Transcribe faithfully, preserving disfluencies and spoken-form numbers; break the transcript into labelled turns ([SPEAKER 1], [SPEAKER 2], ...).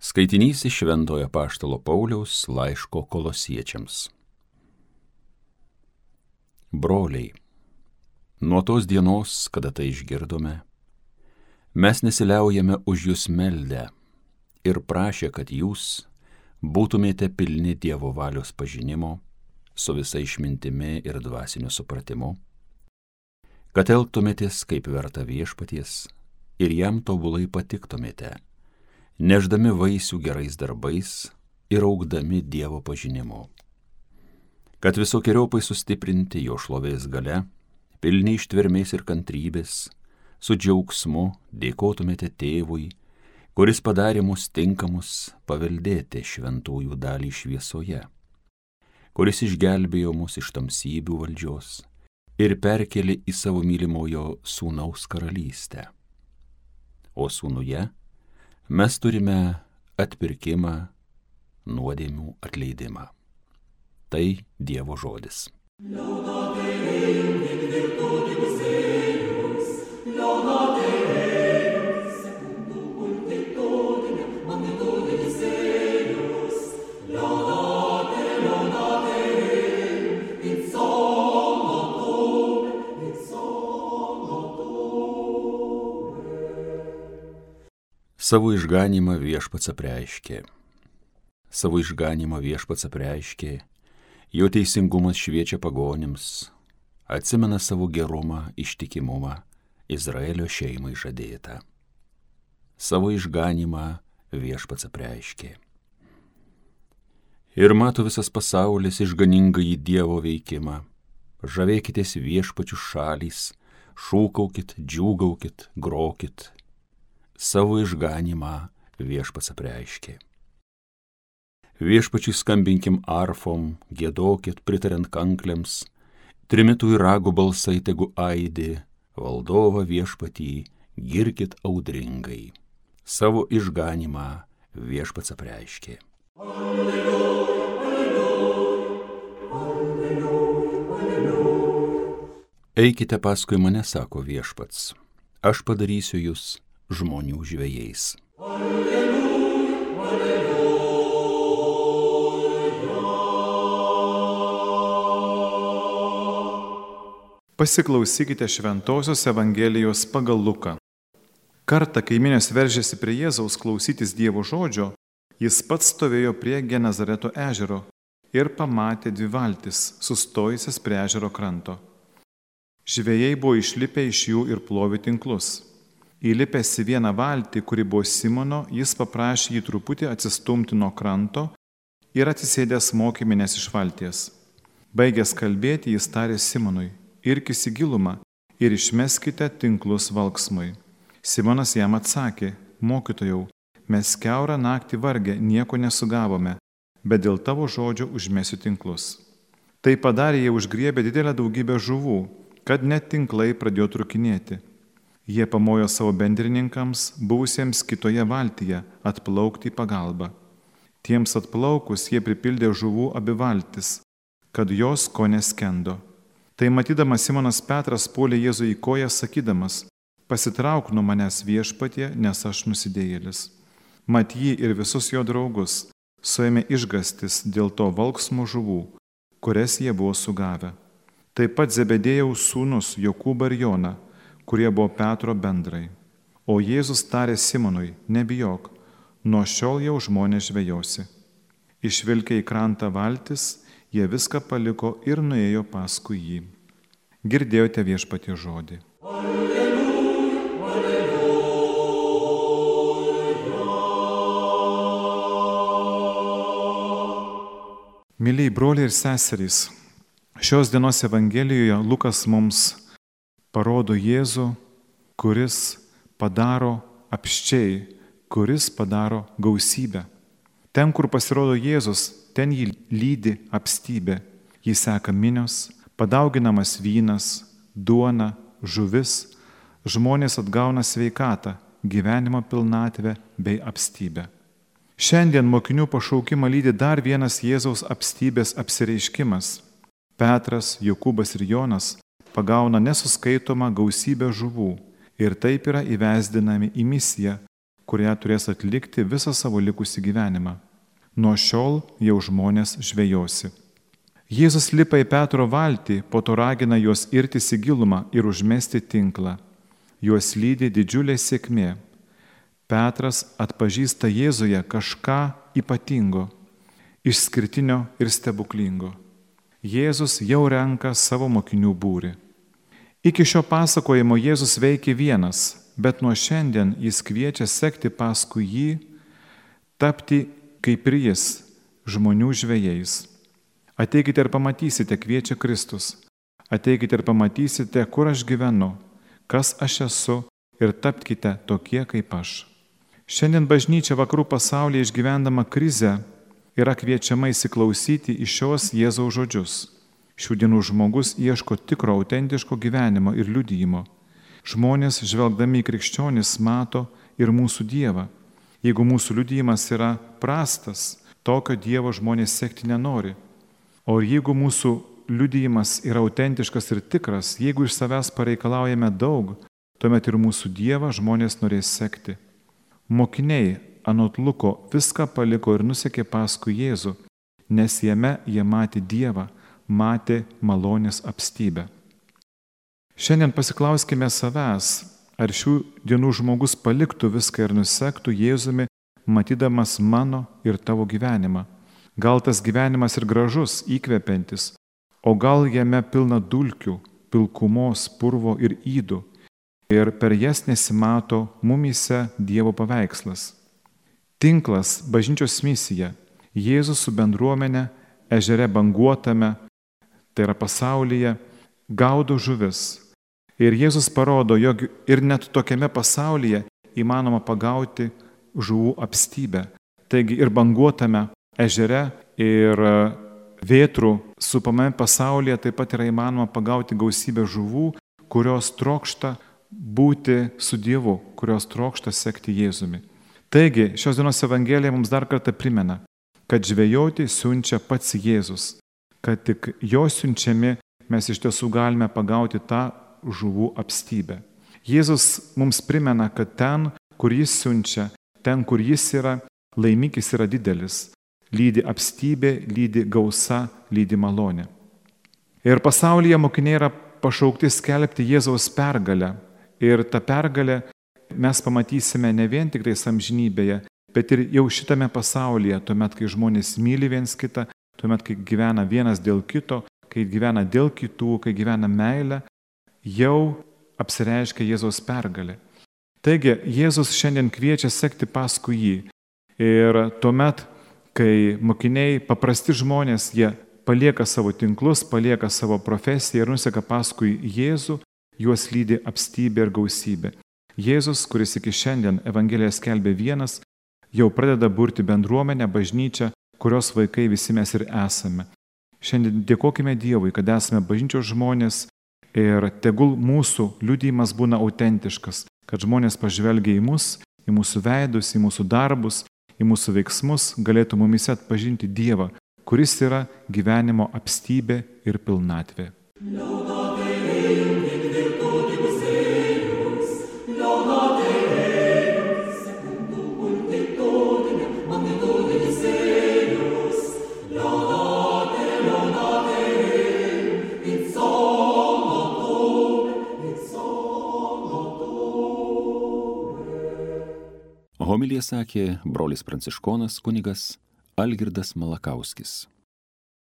[SPEAKER 1] Skaitinys iš Šventojo Apaštalo Pauliaus laiško Kolosiečiams. Broliai, nuo tos dienos, kada tai išgirdome, mes nesiliaujame už jūs meldę ir prašę, kad jūs būtumėte pilni Dievo valios pažinimo su visa išmintimi ir dvasiniu supratimu, kad elgtumėtės kaip verta viešpaties ir jam tobulai patiktumėte, nešdami vaisių gerais darbais ir augdami Dievo pažinimu, kad visokiojopai sustiprinti jo šlovės galia, pilni ištvermės ir kantrybės, su džiaugsmu dėkotumėte Tėvui, kuris padarė mus tinkamus paveldėti šventųjų dalį šviesoje, kuris išgelbėjo mus iš tamsybių valdžios ir perkėlė į savo mylimojo sūnaus karalystę. O sūnuje mes turime atpirkimą, nuodėmių atleidimą. Tai Dievo žodis. Savo išganymą viešpats apreiškė. Savo išganymą viešpats apreiškė, jo teisingumas šviečia pagonims, atsimena savo gerumą, ištikimumą Izraelio šeimai žadėtą. Savo išganymą viešpats apreiškė. Ir mato visas pasaulis išganingąjį Dievo veikimą. Žavėkitės viešpačių šalys, šūkaukit, džiūgaukit, grokit. Savo išganymą viešpats apreiškė. Viešpačiui skambinkim arfom, giedokit, pritariant kankliams, trimitų ir ragų balsai tegu aidi, valdovą viešpatį girkit audringai. Savo išganymą viešpats apreiškė. Alleluja, alleluja, alleluja, alleluja. Eikite paskui mane, sako viešpats, aš padarysiu jūs žmonių žvejais. Alleluja, alleluja.
[SPEAKER 2] Pasiklausykite Šventosios Evangelijos pagal Luką. Kartą, kai minios veržėsi prie Jėzaus klausytis Dievo žodžio, jis pats stovėjo prie Genezareto ežero ir pamatė dvi valtis, sustojusias prie ežero kranto. Žvejai buvo išlipę iš jų ir plovė tinklus. Įlipęs į vieną valtį, kuri buvo Simono, jis paprašė jį truputį atsistumti nuo kranto ir atsisėdęs mokyminės iš valties. Baigęs kalbėti, jis tarė Simonui, irkis į gilumą ir išmeskite tinklus valksmui. Simonas jam atsakė, mokytojau, mes kiaurą naktį vargę nieko nesugavome, bet dėl tavo žodžio užmesiu tinklus. Tai padarė, jie užgriebė didelę daugybę žuvų, kad net tinklai pradėjo trukinėti. Jie pamojo savo bendrininkams, buvusiems kitoje valtyje, atplaukti į pagalbą. Tiems atplaukus jie pripildė žuvų abi valtis, kad jos ko neskendo. Tai matydamas Simonas Petras puolė Jėzų į koją, sakydamas, pasitrauk nuo manęs viešpatie, nes aš nusidėjėlis. Mat jį ir visus jo draugus suėmė išgastis dėl to valksmo žuvų, kurias jie buvo sugavę. Taip pat Zebedėjaus sūnus Jokūbą ir Joną, kurie buvo Petro bendrai. O Jėzus tarė Simonui, nebijok, nuo šiol jau žmonės žvejosi. Išvilkę į krantą valtis, jie viską paliko ir nuėjo paskui jį. Girdėjote viešpaties žodį. Alleluja, alleluja. Mylėjai broliai ir seserys, šios dienos Evangelijoje Lukas mums parodo Jėzų, kuris padaro apsčiai, kuris padaro gausybę. Ten, kur pasirodo Jėzus, ten jį lydi apstybė, jį seka minios, padauginamas vynas, duona, žuvis, žmonės atgauna sveikatą, gyvenimo pilnatvę bei apstybę. Šiandien mokinių pašaukimą lydi dar vienas Jėzaus apstybės apsireiškimas. Petras, Jokūbas ir Jonas pagauna nesuskaitomą gausybę žuvų ir taip yra įvesdinami į misiją, kurią turės atlikti visą savo likusį gyvenimą. Nuo šiol jau žmonės žvejosi. Jėzus lipa į Petro valtį, po to ragina juos irtis į gilumą ir užmesti tinklą. Juos lydi didžiulė sėkmė. Petras atpažįsta Jėzuje kažką ypatingo, išskirtinio ir stebuklingo. Jėzus jau renka savo mokinių būrį. Iki šio pasakojimo Jėzus veikė vienas, bet nuo šiandien jis kviečia sekti paskui jį, tapti kaip ir jis, žmonių žvejais. Ateikite ir pamatysite, kviečia Kristus. Ateikite ir pamatysite, kur aš gyvenu, kas aš esu ir tapkite tokie kaip aš. Šiandien bažnyčia vakarų pasaulyje išgyvendama krizę yra kviečiama įsiklausyti į šios Jėzaus žodžius. Šių dienų žmogus ieško tikro, autentiško gyvenimo ir liudijimo. Žmonės, žvelgdami į krikščionis, mato ir mūsų Dievą. Jeigu mūsų liudijimas yra prastas, tokio Dievo žmonės sekti nenori. O jeigu mūsų liudijimas yra autentiškas ir tikras, jeigu iš savęs pareikalaujame daug, tuomet ir mūsų Dievą žmonės norės sekti. Mokiniai anot Luko viską paliko ir nusekė paskui Jėzų, nes jame jie matė Dievą, matė malonės apstybę. Šiandien pasiklauskime savęs, ar šių dienų žmogus paliktų viską ir nusektų Jėzumi, matydamas mano ir tavo gyvenimą. Gal tas gyvenimas ir gražus, įkvepiantis, o gal jame pilna dulkių, pilkumos, purvo ir ydų, ir per jas nesimato mumyse Dievo paveikslas. Tinklas, bažnyčios misija, Jėzus su bendruomenė ežere banguotame, tai yra pasaulyje, gaudo žuvis. Ir Jėzus parodo, jog ir net tokiame pasaulyje įmanoma pagauti žuvų apstybę. Taigi ir banguotame ežere, ir vėtrų supamame pasaulyje taip pat yra įmanoma pagauti gausybę žuvų, kurios trokšta būti su Dievu, kurios trokšta sekti Jėzumi. Taigi, šios dienos Evangelija mums dar kartą primena, kad žvejoti siunčia pats Jėzus, kad tik jo siunčiami mes iš tiesų galime pagauti tą žuvų apstybę. Jėzus mums primena, kad ten, kur jis siunčia, ten, kur jis yra, laimikis yra didelis. Lydi apstybė, lydi gausa, lydi malonė. Ir pasaulyje mokiniai yra pašaukti skelbti Jėzaus pergalę. Ir tą pergalę mes pamatysime ne vien tik tai amžinybėje, bet ir jau šitame pasaulyje, tuomet, kai žmonės myli viens kitą, tuomet, kai gyvena vienas dėl kito, kai gyvena dėl kitų, kai gyvena meilę, jau apsireiškia Jėzaus pergalė. Taigi, Jėzus šiandien kviečia sekti paskui jį. Ir tuomet, kai mokiniai, paprasti žmonės, jie palieka savo tinklus, palieka savo profesiją ir nuseka paskui Jėzų, juos lydi apstybė ir gausybė. Jėzus, kuris iki šiandien Evangeliją skelbė vienas, jau pradeda burti bendruomenę, bažnyčią, kurios vaikai visi mes ir esame. Šiandien dėkokime Dievui, kad esame bažnyčios žmonės ir tegul mūsų liudijimas būna autentiškas, kad žmonės pažvelgia į mus, į mūsų veidus, į mūsų darbus, į mūsų veiksmus, galėtų mumise atpažinti Dievą, kuris yra gyvenimo apstybė ir pilnatvė.
[SPEAKER 1] Homiliją sakė brolis pranciškonas kunigas Algirdas Malakauskis.